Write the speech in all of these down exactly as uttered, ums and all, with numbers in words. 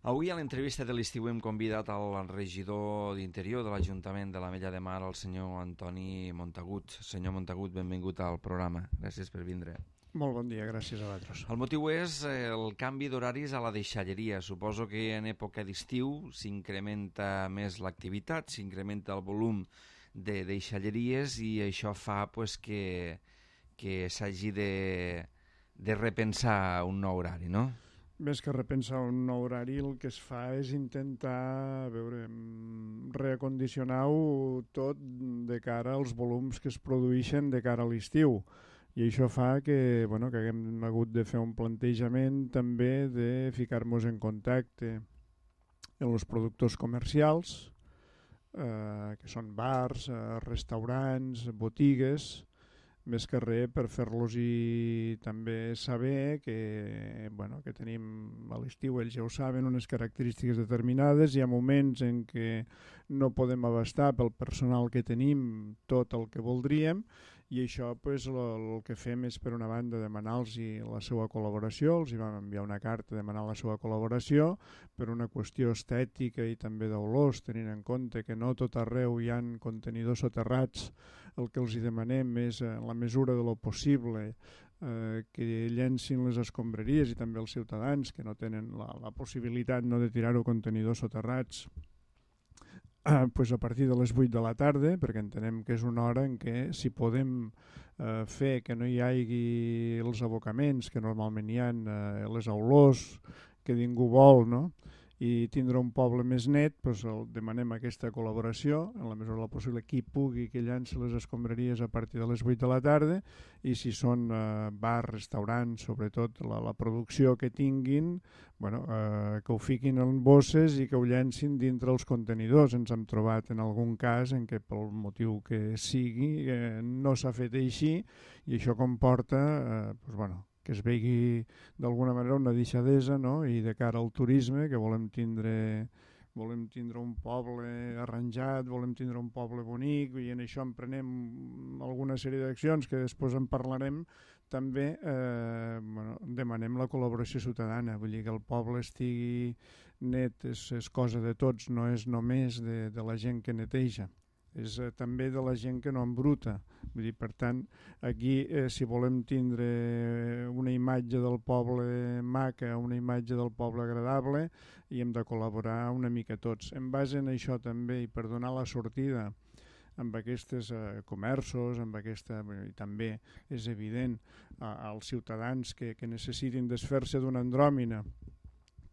Avui a l'entrevista de l'estiu hem convidat al regidor d'Interior de l'Ajuntament de l'Ametlla de Mar, el senyor Antoni Montagut. Senyor Montagut, benvingut al programa. Gràcies per vindre. Molt bon dia, gràcies a vosaltres. El motiu és el canvi d'horaris a la deixalleria. Suposo que en època d'estiu s'incrementa més l'activitat, s'incrementa el volum de deixalleries i això fa pues, que, que s'hagi de, de repensar un nou horari, no? Més que repensar un nou horari, el que es fa és intentar a veure, reacondicionar-ho tot de cara als volums que es produeixen de cara a l'estiu. I això fa que, bueno, que haguem hagut de fer un plantejament també de ficar-nos en contacte amb els productors comercials, eh, que són bars, eh, restaurants, botigues, més que res per fer-los i també saber que, bueno, que tenim a l'estiu, ells ja ho saben, unes característiques determinades. Hi ha moments en què no podem abastar pel personal que tenim tot el que voldríem i això pues, el, el que fem és per una banda demanar-los la seva col·laboració, els hi vam enviar una carta demanant la seva col·laboració per una qüestió estètica i també d'olors, tenint en compte que no tot arreu hi ha contenidors soterrats. El que els hi demanem és, en la mesura de lo possible, eh, que llencin les escombraries i també els ciutadans que no tenen la, la possibilitat no de tirar-ho contenidors soterrats eh, pues a partir de les vuit de la tarda, perquè entenem que és una hora en què si podem eh, fer que no hi hagi els abocaments que normalment hi ha, eh, les olors que ningú vol, no? I tindre un poble més net, doncs el, demanem aquesta col·laboració, en la mesura del possible qui pugui que llanci les escombraries a partir de les vuit de la tarda i si són eh, bars, restaurants, sobretot la, la producció que tinguin, bueno, eh, que ho fiquin en bosses i que ho llancin dintre els contenidors. Ens hem trobat en algun cas en què pel motiu que sigui eh, no s'ha fet així i això comporta eh, doncs, bueno, que es vegi d'alguna manera una deixadesa, no? I de cara al turisme, que volem tindre, volem tindre un poble arranjat, volem tindre un poble bonic, i en això emprenem alguna sèrie d'accions que després en parlarem, també eh, bueno, demanem la col·laboració ciutadana, vull dir que el poble estigui net, és, és cosa de tots, no és només de, de la gent que neteja. És eh, també de la gent que no embruta. Vull dir, per tant, aquí eh, si volem tindre una imatge del poble maca, una imatge del poble agradable, hi hem de col·laborar una mica tots. En base en això també, i per donar la sortida amb aquests eh, comerços, amb aquesta, i també és evident eh, als ciutadans que, que necessitin desfer-se d'una andròmina,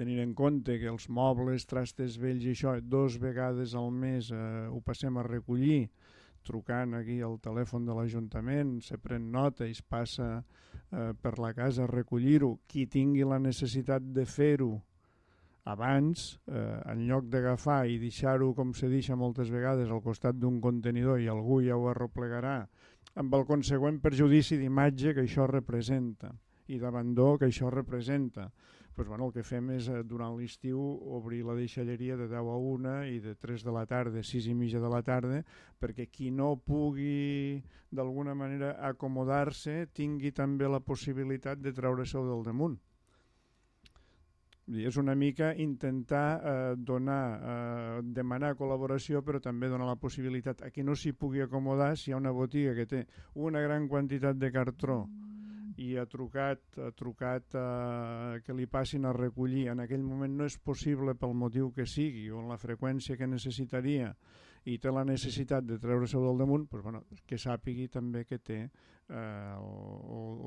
tenint en compte que els mobles, trastes vells i això, dos vegades al mes eh, ho passem a recollir, trucant aquí al telèfon de l'Ajuntament, se pren nota i es passa eh, per la casa a recollir-ho. Qui tingui la necessitat de fer-ho abans, eh, en lloc d'agafar i deixar-ho com se deixa moltes vegades al costat d'un contenidor i algú ja ho arreplegarà, amb el consegüent perjudici d'imatge que això representa i d'abandó que això representa. Pues, bueno, el que fem és eh, durant l'estiu obrir la deixalleria de deu a una i de tres de la tarda, sis i mitja de la tarda, perquè qui no pugui d'alguna manera acomodar-se tingui també la possibilitat de treure-se-ho del damunt. És una mica intentar eh, donar, eh, demanar col·laboració, però també donar la possibilitat a qui no s'hi pugui acomodar. Si hi ha una botiga que té una gran quantitat de cartró i ha trucat, ha trucat eh, que li passin a recollir, en aquell moment no és possible pel motiu que sigui o en la freqüència que necessitaria i té la necessitat de treure-se del damunt, doncs, bueno, que sàpigui també que té eh,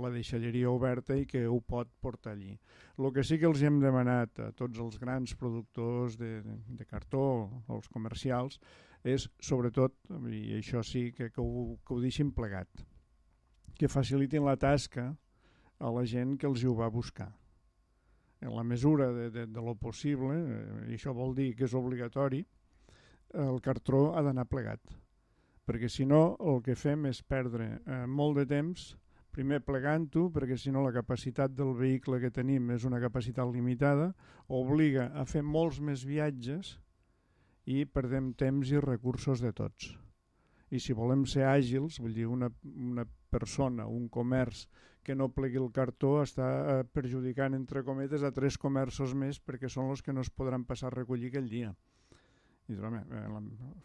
la deixalleria oberta i que ho pot portar allí. El que sí que els hem demanat a tots els grans productors de, de, de cartó, els comercials, és sobretot, i això sí que, que, ho, que ho deixin plegat, que facilitin la tasca a la gent que els hi ho va buscar. En la mesura de, de, de lo possible, eh, i això vol dir que és obligatori, el cartró ha d'anar plegat, perquè si no el que fem és perdre eh, molt de temps, primer plegant-ho, perquè si no la capacitat del vehicle que tenim és una capacitat limitada, obliga a fer molts més viatges i perdem temps i recursos de tots. I si volem ser àgils, vull dir, una, una persona, un comerç que no plegui el cartó està perjudicant, entre cometes, a tres comerços més perquè són els que no es podran passar a recollir aquell dia. I home,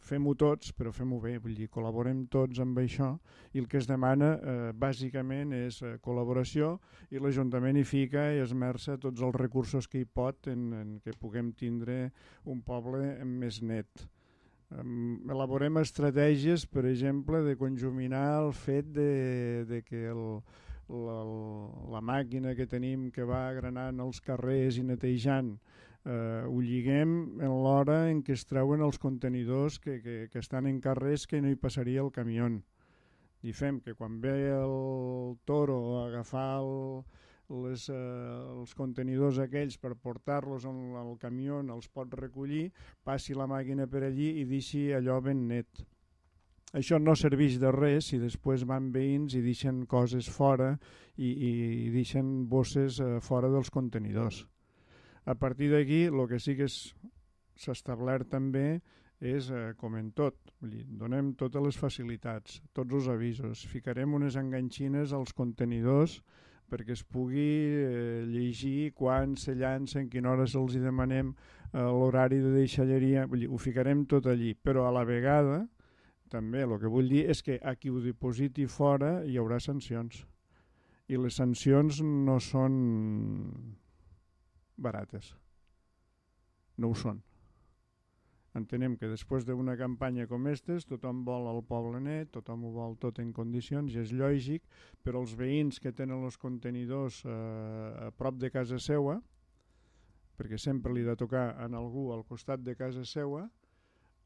fem-ho tots, però fem-ho bé, vull dir, col·laborem tots amb això, i el que es demana eh, bàsicament és eh, col·laboració, i l'Ajuntament hi fica i esmerça tots els recursos que hi pot en, en que puguem tindre un poble més net. Um, elaborem estratègies, per exemple, de conjuminar el fet de, de que el, la, la màquina que tenim que va granant els carrers i netejant Uh, ho lliguem en l'hora en què es treuen els contenidors que, que, que estan en carrers que no hi passaria el camió. I fem que quan ve el toro a agafar el, les, uh, els contenidors aquells per portar-los al camió, els pot recollir, passi la màquina per allí i deixi allò ben net. Això no serveix de res si després van veïns i deixen coses fora i, i, i deixen bosses uh, fora dels contenidors. A partir d'aquí, el que sí que s'ha establert també és, eh, com en tot, vull dir, donem totes les facilitats, tots els avisos, ficarem unes enganxines als contenidors perquè es pugui eh, llegir quan se llancen, en quina hora se'ls demanem eh, l'horari de deixalleria, vull dir, ho ficarem tot allí, però a la vegada també el que vull dir és que a qui ho dipositi fora hi haurà sancions, i les sancions no són barates. No ho són. Entenem que després d'una campanya com aquestes tothom vol el poble net, tothom ho vol tot en condicions i és lògic, però els veïns que tenen els contenidors eh, a prop de casa seua, perquè sempre li ha de tocar en algú al costat de casa seua,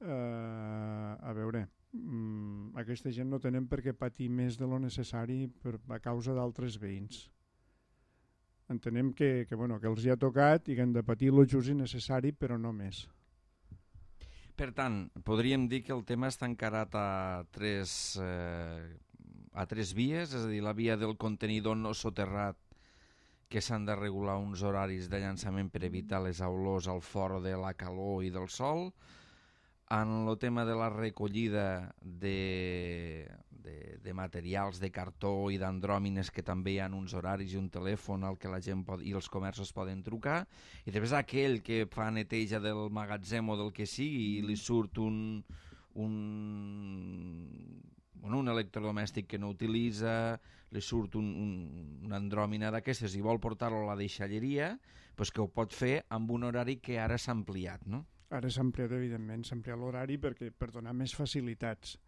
eh, a veure, mm, aquesta gent no tenen per què patir més de lo necessari per, a causa d'altres veïns. Entenem que, que, bueno, que els hi ha tocat i que han de patir el just i necessari, però no més. Per tant, podríem dir que el tema està encarat a tres, eh, a tres vies, és a dir, la via del contenidor no soterrat, que s'han de regular uns horaris de llançament per evitar les olors al fort de la calor i del sol. En el tema de la recollida de, de, de materials de cartó i d'andròmines, que també hi ha uns horaris i un telèfon al que la gent pot, i els comerços poden trucar, i després aquell que fa neteja del magatzem o del que sigui i li surt un, un, bueno, un electrodomèstic que no utilitza, li surt un, un, una andròmina d'aquestes i vol portar-lo a la deixalleria, doncs que ho pot fer amb un horari que ara s'ha ampliat, no? Ara s'ha ampliat, evidentment, s'ha ampliat l'horari perquè per donar més facilitats.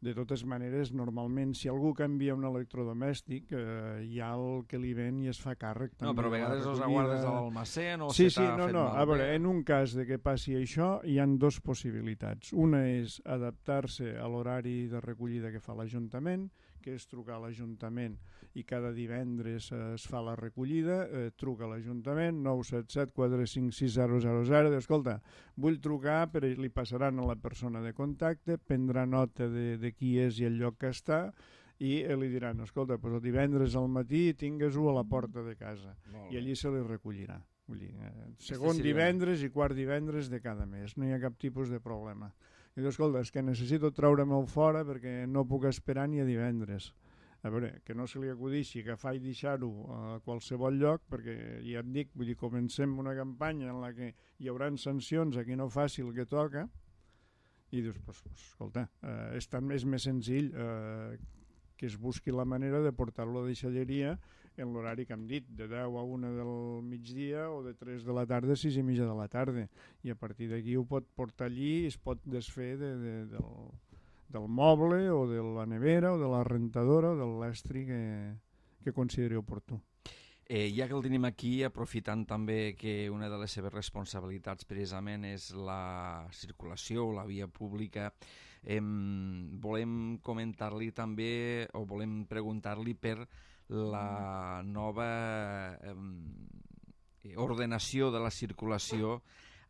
De totes maneres, normalment, si algú canvia un electrodomèstic, eh, hi ha el que li ven i es fa càrrec. No, però a vegades els aguardes a l'almacén o sí, se t'ha sí, no, fet no. malbé. A veure, en un cas de que passi això, hi han dues possibilitats. Una és adaptar-se a l'horari de recollida que fa l'Ajuntament, que és trucar a l'Ajuntament i cada divendres eh, es fa la recollida, eh, truca a l'Ajuntament, nou set set quatre cinc sis zero zero zero, diu, escolta, vull trucar, però li passaran a la persona de contacte, prendrà nota de, de qui és i el lloc que està, i eh, li diran, escolta, doncs el divendres al matí tingues-ho a la porta de casa, i allí se li recollirà. Vull dir, eh, segon divendres i quart divendres de cada mes, no hi ha cap tipus de problema. I diu, escolta, és que necessito treure-me'l fora perquè no puc esperar ni a divendres. A veure, que no se li acudixi agafar i deixar-ho a qualsevol lloc, perquè ja et dic, vull dir, comencem una campanya en la que hi haurà sancions a qui no faci el que toca, i dius, pues, pues, escolta, eh, és, tan, és més senzill eh, que es busqui la manera de portar-lo a deixalleria en l'horari que hem dit, de deu a una del migdia o de tres de la tarda a sis i mitja de la tarda, i a partir d'aquí ho pot portar allí i es pot desfer de, de, del, del moble o de la nevera o de la rentadora o de l'estri que, que consideri oportú. Eh, ja que el tenim aquí, aprofitant també que una de les seves responsabilitats precisament és la circulació, la via pública, eh, volem comentar-li també o volem preguntar-li per la nova eh, ordenació de la circulació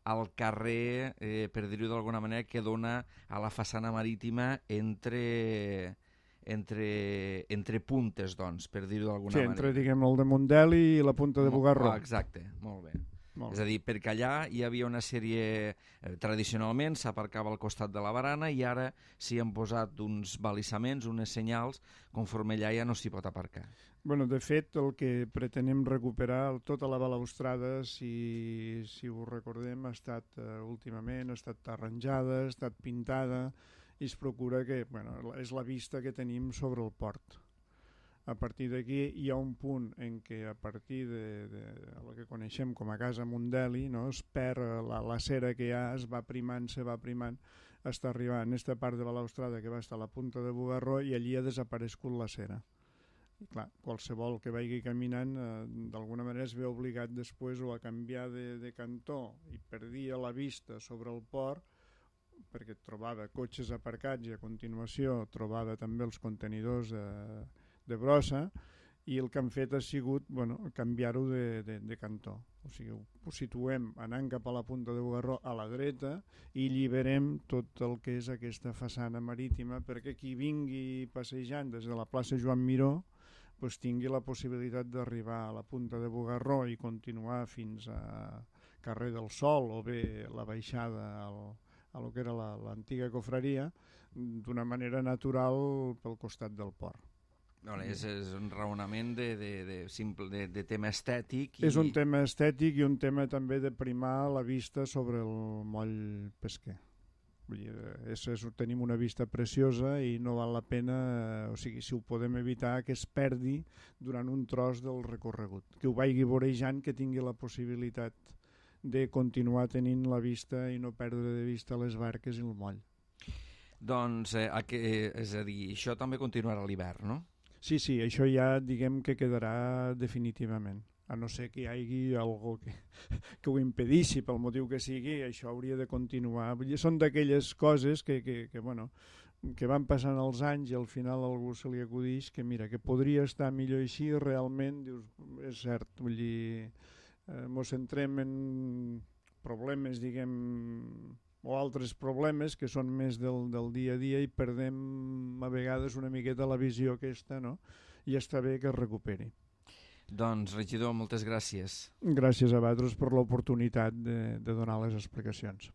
al carrer, eh, per dir-ho d'alguna manera, que dona a la façana marítima entre, entre, entre puntes, doncs, per dir-ho d'alguna sí, manera. entre, diguem, el de Mundel i la punta de Bugarró. Ah, exacte, molt bé. És a dir, perquè allà hi havia una sèrie, eh, tradicionalment s'aparcava al costat de la barana i ara s'hi han posat uns balissaments, unes senyals, conforme allà ja no s'hi pot aparcar. Bueno, de fet, el que pretenem recuperar, tota la balaustrada, si, si ho recordem, ha estat uh, últimament, ha estat arranjada, ha estat pintada, i es procura que, bueno, és la vista que tenim sobre el port. A partir d'aquí hi ha un punt en què a partir de, de el que coneixem com a Casa Mundeli, no, es perd la, la cera que hi ha, es va primant, se va primant, està arribant a aquesta part de balaustrada que va estar a la punta de Bugarró i allí ha desaparegut la cera. I clar, qualsevol que vagi caminant eh, d'alguna manera es ve obligat després o a canviar de, de cantó i perdia la vista sobre el port perquè trobava cotxes aparcats i a continuació trobava també els contenidors de de brossa i el que han fet ha sigut bueno, canviar-ho de, de, de cantó. O sigui, ho situem anant cap a la punta de Bugarró a la dreta i lliberem tot el que és aquesta façana marítima perquè qui vingui passejant des de la plaça Joan Miró pues, tingui la possibilitat d'arribar a la punta de Bugarró i continuar fins a carrer del Sol o bé la baixada al, a lo que era l'antiga cofreria d'una manera natural pel costat del port. No, és, és un raonament de, de, de, simple, de, de tema estètic. I... És un tema estètic i un tema també de primar la vista sobre el moll pesquer. Vull dir, és, és, tenim una vista preciosa i no val la pena, o sigui, si ho podem evitar, que es perdi durant un tros del recorregut. Que ho vagi vorejant, que tingui la possibilitat de continuar tenint la vista i no perdre de vista les barques i el moll. Doncs, eh, a que, és a dir, això també continuarà a l'hivern, no? Sí, sí, això ja diguem que quedarà definitivament. A no ser que hi hagi algú que, que ho impedeixi pel motiu que sigui, això hauria de continuar. Vull dir, són d'aquelles coses que, que, que, bueno, que van passant els anys i al final a algú se li acudeix que mira, que podria estar millor així, realment, dius, és cert, vull dir, eh, mos centrem en problemes, diguem, o altres problemes que són més del, del dia a dia i perdem a vegades una miqueta la visió aquesta, no? I està bé que es recuperi. Doncs, regidor, moltes gràcies. Gràcies a vosaltres per l'oportunitat de, de donar les explicacions.